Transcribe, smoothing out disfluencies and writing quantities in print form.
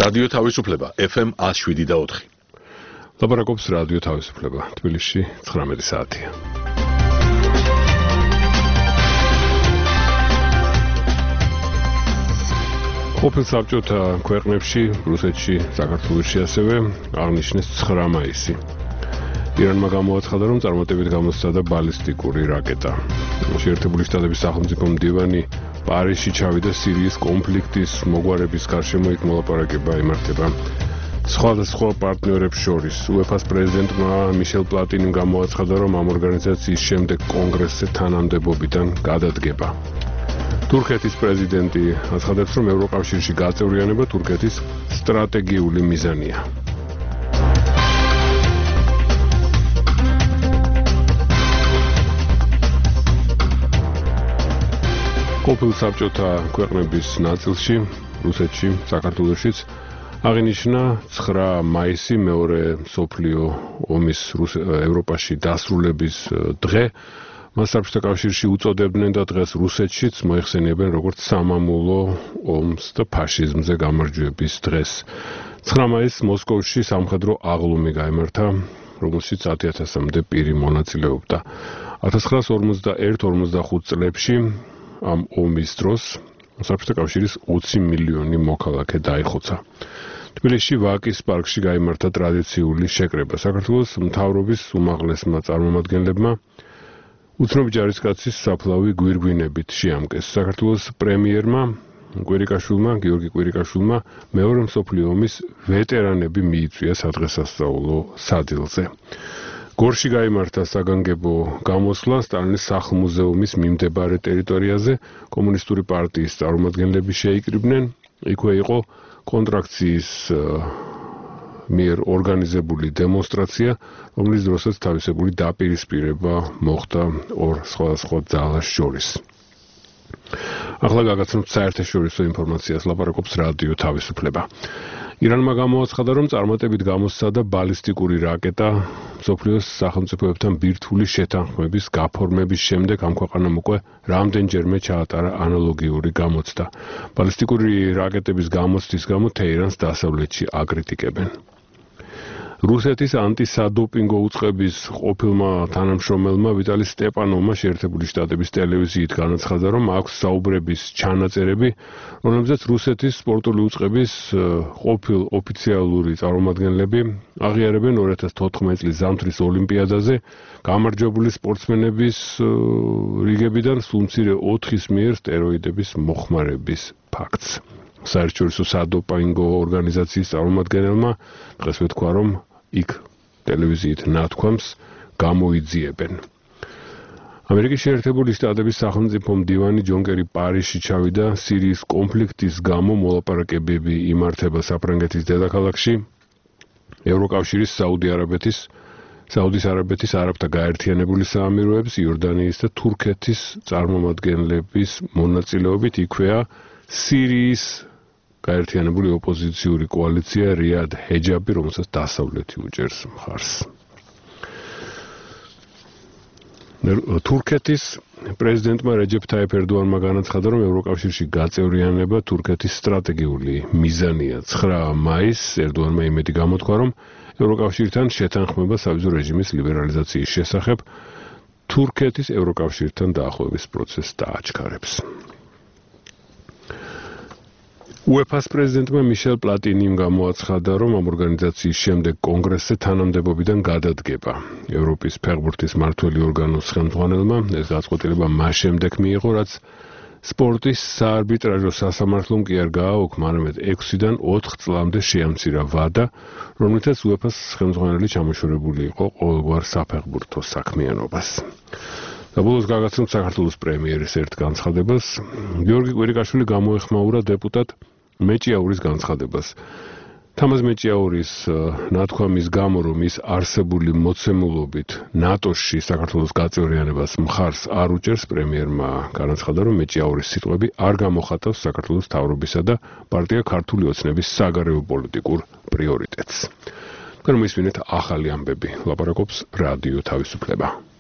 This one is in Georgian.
რადიო თავისუფლება FM 107.4. ლაპარაკობს რადიო თავისუფლება. თბილისში 19 საათია. ყოფილ საბჭოთა ქვეყნებში, რუსეთში, საქართველოში ასევე აღნიშნეს 9 მაისი. ირანმა გამოაცხადა, რომ წარმატებით გამოსცადა ბალისტიკური რაკეტა. შეერთებული შტატების სახელმწიფო მდივანი პარიზში ჩავიდა სირიის კონფლიქტის მოგვარების გარშემო იქ მოლაპარაკება იმართება. სხვადასხვა პარტნიორებს შორის UEFA-ს პრეზიდენტმა მიშელ პლატინიმ გამოაცხადა, რომ ამ ორგანიზაციის შემდეგ კონგრესზე თანამდებობიდან გადადგება. თურქეთის პრეზიდენტი აცხადებს, რომ ევროკავშირში გაწევრიანება თურქეთის სტრატეგიული მიზანია. ყოფილ საბჭოთა ქვეყნების ნაწილში, რუსეთში, საქართველოშიც აღინიშნა 9 მაისი მეორე მსოფლიო ომის ევროპაში დასრულების დღე. მას საბჭოთა კავშირში უწოდებდნენ და დღეს რუსეთშიც მოიხსენიებენ როგორც სამამულო ომს და ფაშიზმზე გამარჯვების დღეს. 9 მაისს მოსკოვში სამხედრო აღლუმი გაიმართა, რომელშიც 10,000-მდე პირი მონაწილეობდა. 1941-45 წლებში ამ ომის დროს საბჭოთა კავშირის 20 მილიონი მოქალაქე დაიხოცა. თბილისში ვაკის პარკში გაიმართა ტრადიციული შეკრება. საქართველოს მთავრობის უმაღლესმა წარმომადგენლებმა უცნობი ჯარისკაცის საფლავი გვირგვინებით შეამკეს. საქართველოს პრემიერმა გიორგი კვირიკაშვილმა მეორე მსოფლიო ომის ვეტერანები მიიწვია სადღესასწაულო სადილზე. გორში გაიმართა საგანგებო გამოსვლა სტალინის სახლ-მუზეუმის მიმდებარე ტერიტორიაზე. კომუნისტური პარტიის წარმომადგენლები შეიკრიბნენ. იქვე იყო კონტრაქციის მიერ ორგანიზებული დემონსტრაცია, რომლის დროსაც თავისებური დაპირისპირება მოხდა ორ სხვადასხვა ძალას შორის. ახლა გაგაცნობთ საერთაშორისო ინფორმაციას, ლაპარაკობს რადიო თავისუფლება. ირანმა გამოაცხადა, რომ წარმატებით გამოსცადა ბალისტიკური რაკეტა. მსოფლიოს სახელმწიფოებთან ბირთვული შეთანხმების გაფორმების შემდეგ ამ ქვეყანამ უკვე რამდენჯერმე ჩაატარა ანალოგიური გამოცდა. ბალისტიკური რაკეტების გამოცდის გამო თეირანს დასავლეთში აკრიტიკებენ. რუსეთის ანტისადოპინგო უწყების ყოფილმა თანამშრომელმა ვიტალი სტეპანოვმა შეერთებული შტატების ტელევიზიით განაცხადა, რომ აქვს საუბრების ჩანაწერები, რომლებზეც რუსეთის სპორტული უწყების ყოფილ ოფიციალური წარმომადგენლები აღიარებენ 2014 წლის ზამთრის ოლიმპიადაზე გამარჯვებული სპორტსმენების რიგებიდან სულ მცირე 4-ის მიერ სტეროიდების მოხმარების ფაქტს. საერთაშორისო სადოპინგო ორგანიზაციის წარმომადგენელმა დღეს ვეთქვა, რომ იქ ტელევიზიით ნათქვამს გამოიძიებენ. ამერიკის შეერთებული შტატების სახელმწიფო მდივანი ჯონ კერი პარიზში ჩავიდა სირიის კონფლიქტის გამო მოლაპარაკებები იმართება საფრანგეთის დედაქალაქში. ევროკავშირის საუდის არაბეთის არაბთა გაერთიანებული საამიროების იორდანიის და თურქეთის წარმომადგენლების მონაწილეობით იქვეა სირიის გაერთიანებული ოპოზიციური კოალიცია რიად ჰეჯაბი, რომელსაც დასავლეთი უჭერს მხარს. თურქეთის პრეზიდენტმა რეჯეფ თაიფ ერდოანმა განაცხადა, რომ ევროკავშირში გაწევრიანება თურქეთის სტრატეგიული მიზანია. 9 მაისს ერდოანმა იმედი გამოთქვა, რომ ევროკავშირთან შეთანხმება სავიზო რეჟიმის ლიბერალიზაციის შესახებ თურქეთის ევროკავშირთან დაახლოების პროცესს დააჩქარებს. UEFA-ს პრეზიდენტმა მიშელ პლატინიმ გამოაცხადა, რომ ამ ორგანიზაციის შემდეგ კონგრესზე თანამდებობიდან გადადგება. ევროპის ფეხბურთის მმართველი ორგანოს ხელმძღვანელმა ეს გადაწყვეტილება მას შემდეგ მიიღო, რაც სპორტის საარბიტრაჟო სასამართლომ კი არ გააუქმა, არამედ 6-დან 4 წლამდე შეამცირა ვადა, რომლითაც UEFA-ს ხელმძღვანელი ჩამოშორებული იყო ყოველგვარ საფეხბურთო საქმიანობას. და ბოლოს გაგაცნობთ საქართველოს პრემიერის ერთ განცხადებას. გიორგი კვირიკაშვილი გამოეხმაურა დეპუტატ მეჭიაურის განცხადებას. თამაზ მეჭიაურის ნათქვამის გამო, რომ ის არსებული მოცემულობით ნატოში საქართველოს გაწევრიანებას მხარს არ უჭერს, პრემიერმა განაცხადა, რომ მეჭიაურის სიტყვები არ გამოხატავს საქართველოს მთავრობისა და პარტია ქართული ოცნების საგარეო პოლიტიკურ პრიორიტეტს. თქვენ მოისმინეთ ახალი ამბები, ლაპარაკობს რადიო თავისუფლება.